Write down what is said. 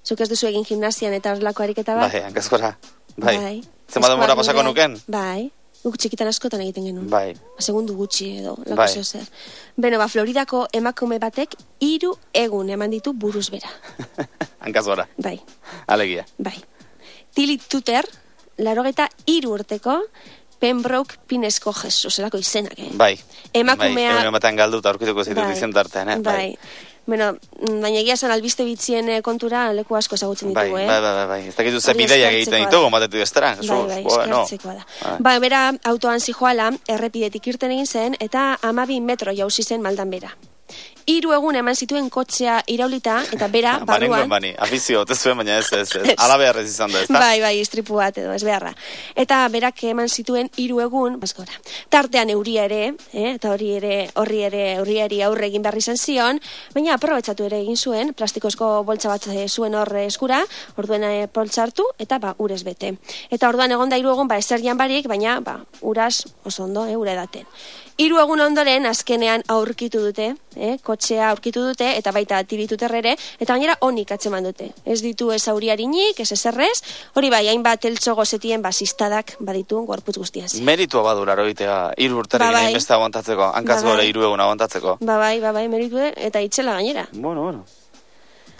Zuk ez duzu egin gimnasian eta horrelako ariketa bat? Bai, hankazkora. Bai. Zenbat denbora pasako nuken? Bai. Guk txikitan askotan egiten genuen. Bai. Segundu gutxi edo, lako zeo zer. Beno, Floridako emakume batek 3 egun eman ditu buruz bera. Hankazkora. Bai. Alegia. Bai. Tilly Tutter, 83 urteko, Pembroke Pinesko Jesus, zelako izenak, Bai. Emakumea... Bai, ematen galdu eta aurkituko zitut izen tartean, Bai. Bueno, baina egia zen albiste bitzien kontura leku asko ezagutzen ditugu, Bai. Ez dakitu ze bideiak egiten ditugu, batetu estera. Bai, eskertzekoa da. Bai, bera autoan zijoala, errepidetik irten egin zen, eta 12 metro jauzi zen maldan bera. 3 egun eman zituen kotxea iraulita, eta bera, barruan... Afizio, te zuen, baina ez. Ala beharrez izan da, ez da? Bai, istripu bat edo, ez beharra. Eta berak eman zituen 3 egun, baskora. Tartean euria ere, eta horri ere aurre egin behar izan zion, baina aprobetxatu ere egin zuen, plastikozko boltsa bat zuen hor eskura, orduen poltsa hartu, eta urez bete. Eta orduan egon da 3 egun, ezer jan barik, baina uraz oso ondo, ura edaten. 3 egun ondoren, azkenean aurkitu dute, kotxea aurkitu dute, eta baita Tilly Tutter ere, eta gainera onik atzeman dute. Ez ditu ez auriarinik, ez ezerrez, hori bai, hainbat eltso gozetien basistadak baditu gorputz guztiaz. Meritua baduraro egitea, 3 urterekin hainbeste aguantatzeko, hankaz gore 3 egun aguantatzeko. Bai, meritu eta itxela gainera. Bueno.